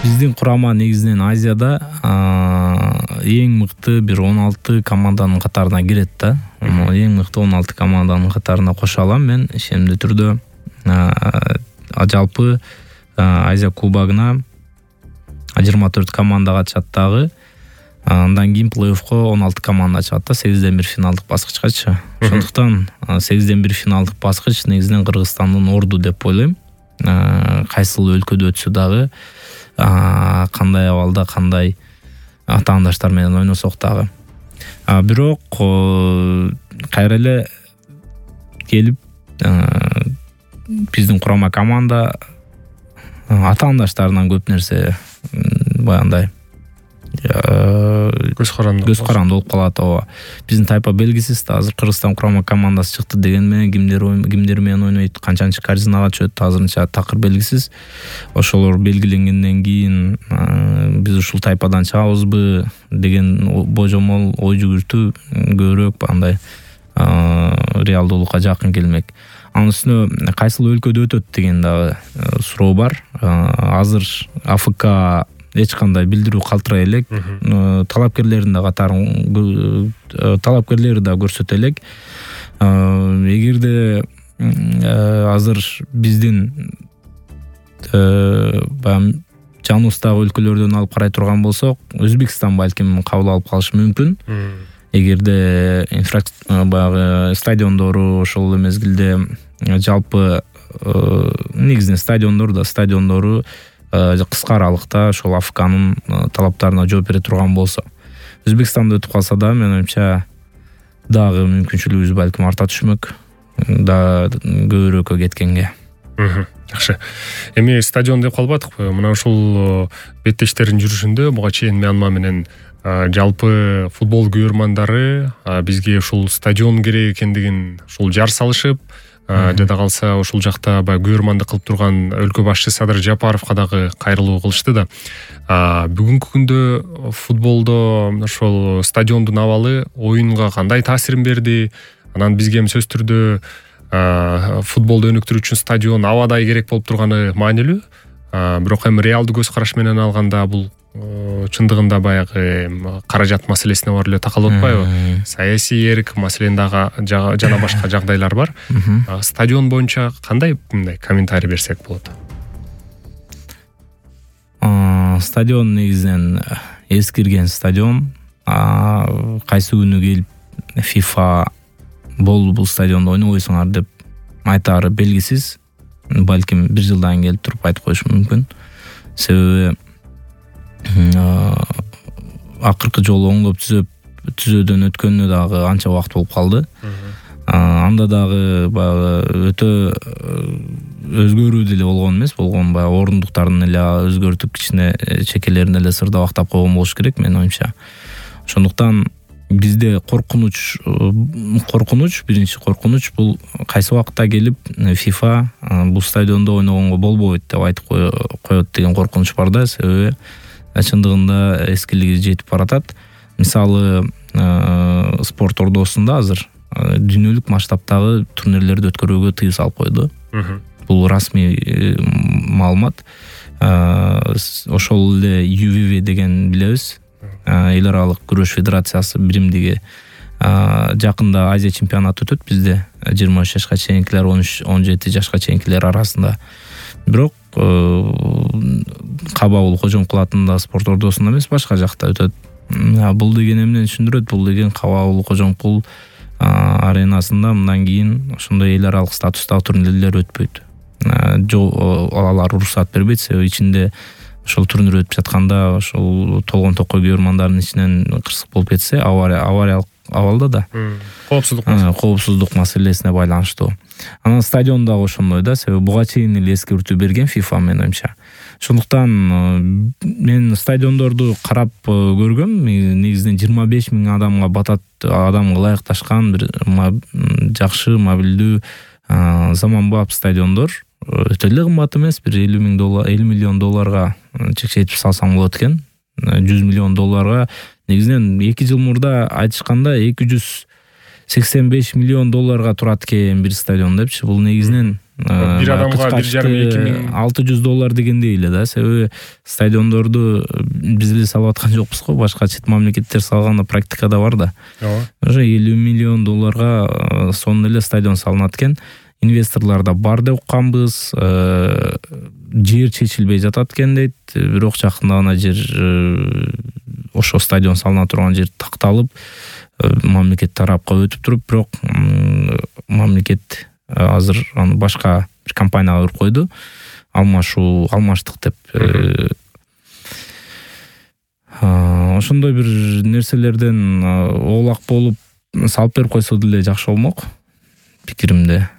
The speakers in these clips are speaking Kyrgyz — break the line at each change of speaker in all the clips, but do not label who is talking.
Биздин курама негизинен Азияда эң мыкты бир 16 команданын катарына кирет да. Эң мыкты 16 команданын катарына кошо алам мен ишенимдүү түрдө. Жалпы Азия кубогуна 24 команда катышат дагы. Андан кийин плей-оффко 16 команда чыгат да, 8ден 1 финалдык баскычкачы. Ошондуктан 8ден 1 финалдык баскыч негизинен Кыргызстандын орду деп ойлойм. Кайсыл өлкөдө өтсө дагы, кандай абалда, кандай атаандаштар менен ойносок дагы. Бирок кайра эле келип биздин курама команда атаандаштарынан көп нерсе баягындай көз каранды болуп калат. Биздин тайпа белгисиз да. Азыр Кыргызстан курама командасы чыкты деген менен кимдер менен ойнойт, канчанчы корзинага чөт, азырынча такыр белгисиз. Ошолор белгиленгенден кийин биз ушул тайпадан чыгабызбы деген божомол ой жүгүртүү көбүрөөк андай реалдуулукка жакын келмек. Анын үстүнө кайсыл өлкөдө өтөт деген дагы суроо бар. Азыр АФК эч кандай билдирүү калтырай элек. Талапкерлердин да катарын талапкерлери да көрсөтө элек. Эгерде азыр биздин жаныбыздагы өлкөлөрдөн алып карай турган болсок, Өзбекстан балким кабыл алып калышы мүмкүн. Эгерде баягы стадиондору ошол мезгилде жалпы негизинен стадиондору кыска аралыкта ошол АФКнын талаптарына жооп бере турган болсо. Өзбекстанда өтүп калса да, мен оюмча дагы мүмкүнчүлүгүбүз балким арта түшмөк, да көбүрөөккө кеткенге.
Жакшы. Эми стадион деп калбадыкпы? Мына ушул беттештердин жүрүшүндө буга чейин Мьянма менен жалпы футбол көрөрмандары бизге ушул стадион керек экендигин ушул жар салышып, жада калса ушул жакта баягы көрөрмандык кылып турган өлкө башчысы Садыр Жапаровго дагы кайрылуу кылышты да. Бүгүнкү күндө футболдо ошол стадиондун абалы оюнга кандай таасирин берди? Анан бизге эми сөзсүз түрдө футболду өнүктүрүү үчүн стадион абадай керек болуп турганы маанилүү. Бирок эми реалдуу көз караш менен алганда бул чындыгында баягы каражат маселесине бар эле такалып атпайбы? Саясий эрк маселен дагы жана башка жагдайлар бар. Стадион боюнча кандай комментарий берсек болот?
Стадион негизинен эскирген стадион. Кайсы күнү келип FIFA бул стадиондо ойнобойсуңар деп айтаары белгисиз. Балким 1 жылдан келип туруп айтып коюшу мүмкүн. Себеби акыркы жолу оңдоп түзөөдөн өткөнүнө дагы анча убакыт болуп калды. Анда дагы баягы өтө өзгөрүү деле болгон эмес, баягы орундуктарын эле өзгөртүп, кичине чекелерин эле сырдабактап койгон болуш керек менин оюмча. Ошондуктан бизде биринчи коркунуч бул кайсы убакытта келип FIFA бул стадиондо ойногонго болбойт деп айтып коет деген коркунуч бар да. Себеби чындыгында эскилиги жетип баратат. Мисалы, спорт ордосунда азыр дүйнөлүк масштабтагы турнирлерди өткөрүүгө тыюу салып койду. Бул расмий маалымат. Ошол эле UVV деген билебиз. Эл аралык күрөш федерациясы биримдиги жакында Азия чемпионаты өтөт бизде. 23 жашка чейинкилер, 13-17 жашка чейинкилер арасында. Бирок кабыл кожом кылатында спорт ордосунда эмес, башка жакта өтөт. Бул деген эмнени түшүндүрөт? Бул деген кабыл кожом кул аренасында мындан кийин ошондой эл аралык статустагы турнирлер өтпөйт. Алар уруксат бербейт, себеби ичинде ошол турнир өтүп жатканда ошол толгон токой көрөрмандардын ичинен кырсык болуп кетсе, авариялык абалда да. Коопсуздук маселесине байланыштуу. Анан стадион дагы ошондой да, себеби буга чейин эле эскертүү берген FIFA менин оюмча. Ошондуктан мен стадиондорду карап көргөм. Негизинен 25 000 адамга батат, адамга ылайыкташкан бир жакшы, мобилдүү, заманбап стадиондор. Өтө эле кымбат эмес, бир $50 миллион чекчейтип салсаң болот экен. $100 миллион негизинен 2 жыл мурда айтышканда $285 миллион турат экен бир стадион депчи. Бул негизинен
бир адамга 1,5-2 миң
$600 дегендей эле да. Себеби стадиондорду биз эле салып аткан жокпуз го, башка чет мамлекеттер салганда практикада бар да. Уже $50 миллион сонун эле стадион салынат экен. Инвесторлар да бар деп укканбыз. Жер чечилбей жатат экен дейт. Бирок жакында гана жер ошо стадион салына турган жер такталып, мамлекет тарапка өтүп туруп, бирок мамлекет азыр аны башка бир компанияга берип койду. Алмаштык деп. Ошондой бир нерселерден оолак болуп салып берип койсо деле жакшы болмок, пикиримде.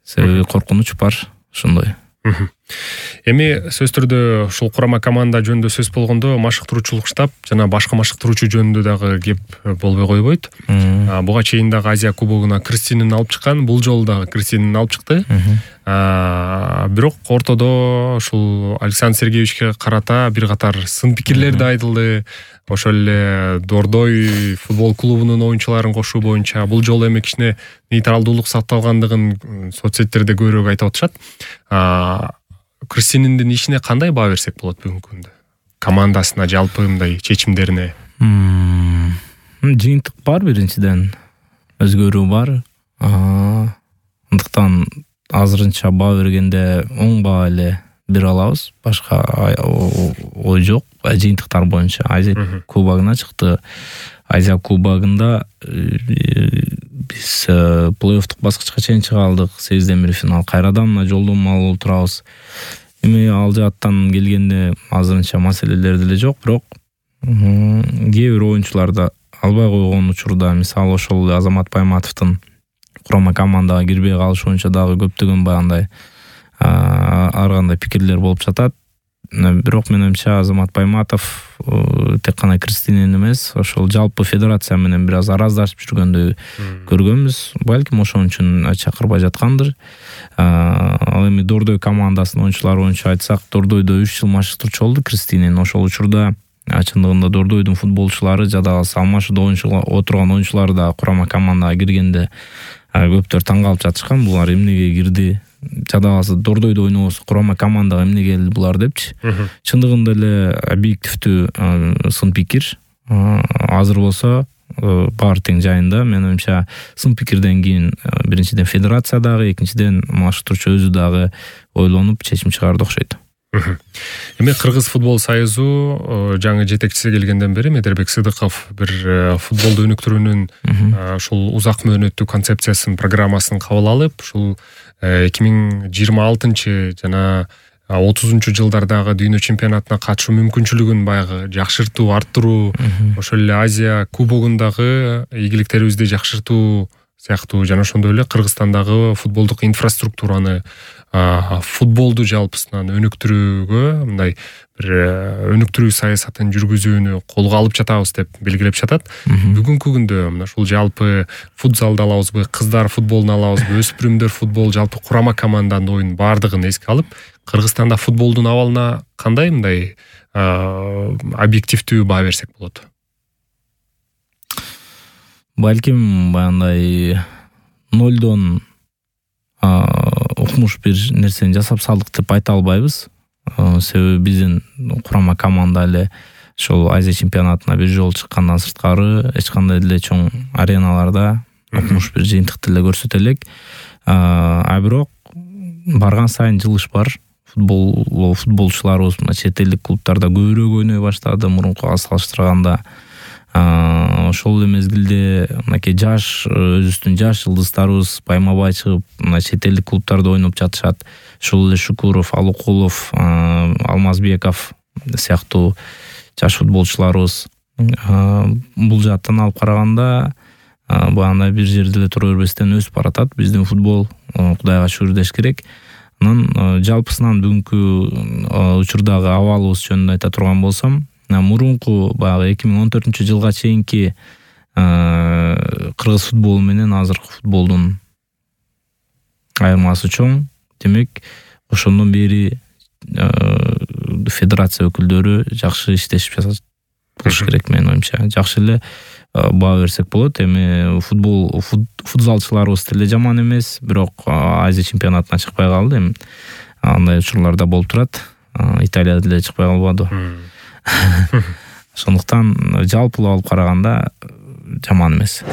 Себеби коркунуч бар ошондой.
Эми сөзсүз түрдө ушул курама команда жөнүндө сөз болгондо машыктыруучулук штаб жана башка машыктыруучу жөнүндө дагы кеп болбой койбойт. Буга чейин дагы Азия кубогуна Кристинин алып чыккан, бул жолу дагы Кристинин алып чыкты. Бирок ортодо ушул Александр Сергеевичке карата бир катар сын пикирлер да айтылды. Ошол эле Дордой футбол клубунун оюнчуларын кошуу боюнча бул жолу эми кичине нейтралдуулук сакталгандыгын соц сеттерде көбүрөөк айтып атышат. Кристининдин ишине кандай баа берсек болот бүгүнкү күндө? Командасына, жалпы мындай чечимдерине.
Жыйынтык бар биринчиден. Өзгөрүү бар. Андыктан азырынча баа бергенде оң баа эле бере алабыз. Башка ой жок. Жыйынтыктар боюнча Азия кубогуна чыкты. Азия кубогунда биз плей-оффтук баскычка чейин чыга алдык. 8-1 финал. Кайрадан мына жолдомо алып турабыз. Эми ал жааттан келгенде азырынча маселелер деле жок, бирок кээ бир оюнчуларда албай койгон учурда, мисалы ошол Азамат Байматовдун курама командага кирбей калышы боюнча дагы көптөгөн баягындай ар кандай пикирлер болуп жатат. Бирок менимче Азамат Байматов тек кана Кристинин эмес, ошол жалпы федерация менен бир аз араздашып жүргөндөй көргөнбүз. Балким ошон үчүн чакырбай жаткандыр. Ал эми Дордой командасынын оюнчулары боюнча айтсак, Дордойдо 3 жыл машыктыруучу болду Кристинин. Ошол учурда чындыгында Дордойдун футболчулары жада Алмашыда отурган оюнчулары да курама командага киргенде көптөр таң калып жатышкан. Булар эмнеге кирди? Жадабасы Дордойдо ойнобосо курама командага эмне келди булар депчи. Чындыгында эле объективдүү сын пикир. Азыр болсо баары тең жайында. Менимче сын пикирден кийин биринчиден федерация дагы, экинчиден машыктыруучу өзү дагы ойлонуп чечим чыгарды окшойт.
Эми Кыргыз футбол союзу жаңы жетекчиси келгенден бери Медербек Сыдыков бир футболду өнүктүрүүнүн ушул узак мөөнөттүү концепциясын, программасын кабыл алып, ушул 2026 жана 30-жылдардагы дүйнө чемпионатына катышуу мүмкүнчүлүгүн баягы жакшыртуу, арттыруу, ошол эле Азия кубогундагы ийгиликтерибизди жакшыртуу сыяктуу жана ошондой эле Кыргызстандагы футболдук инфраструктураны, футболду жалпысынан өнүктүрүүгө мындай бир өнүктүрүү саясатын жүргүзүүнү колго алып жатабыз деп белгилеп жатат. Бүгүнкү күндө мына ушул жалпы футзалды алабызбы, кыздар футболун алабызбы, өспүрүмдөр футбол, жалпы курама команданын оюн баардыгын эске алып, Кыргызстанда футболдун абалына кандай мындай объективдүү баа берсек болот?
Балким баягындай нолдон укмуш бир нерсени жасап салдык деп айта албайбыз. Себеби биздин курама команда эле ошол Азия чемпионатына бир жолу чыккандан сырткары эч кандай деле чоң ареналарда укмуш бир жыйынтыкты эле көрсөтө элек. Бирок барган сайын жылыш бар. Футболчуларыбыз чет элдик клубтарда көбүрөөк ойной баштады мурункуга салыштырганда. Ошол эле мезгилде мынакей өзүбүздүн жаш жылдыздарыбыз байма-бай чыгып, чет элдик клубтарда ойноп жатышат. Ошол эле Шукуров, Алукулов, Алмазбеков сыяктуу жаш футболчуларыбыз бул жааттан алып караганда баягындай бир жерде эле тура бербестен өсүп баратат. Биздин футбол Кудайга шүгүр деш керек. Анан жалпысынан бүгүнкү учурдагы абалыбыз жөнүндө айта турган болсом, мурунку баягы 2014-жылга чейинки кыргыз футболу менен азыркы футболдун айырмасы чоң. Демек, ошондон бери федерация өкүлдөрү жакшы иштешип болуш керек менин оюмча. Жакшы эле баа берсек болот. Эми футзалчыларыбыз деле жаман эмес, бирок Азия чемпионатына чыкпай калды. Эми андай учурларда болуп турат. Италияда деле чыкпай калбады. Ошондуктан жалпылап алып караганда жаман эмес.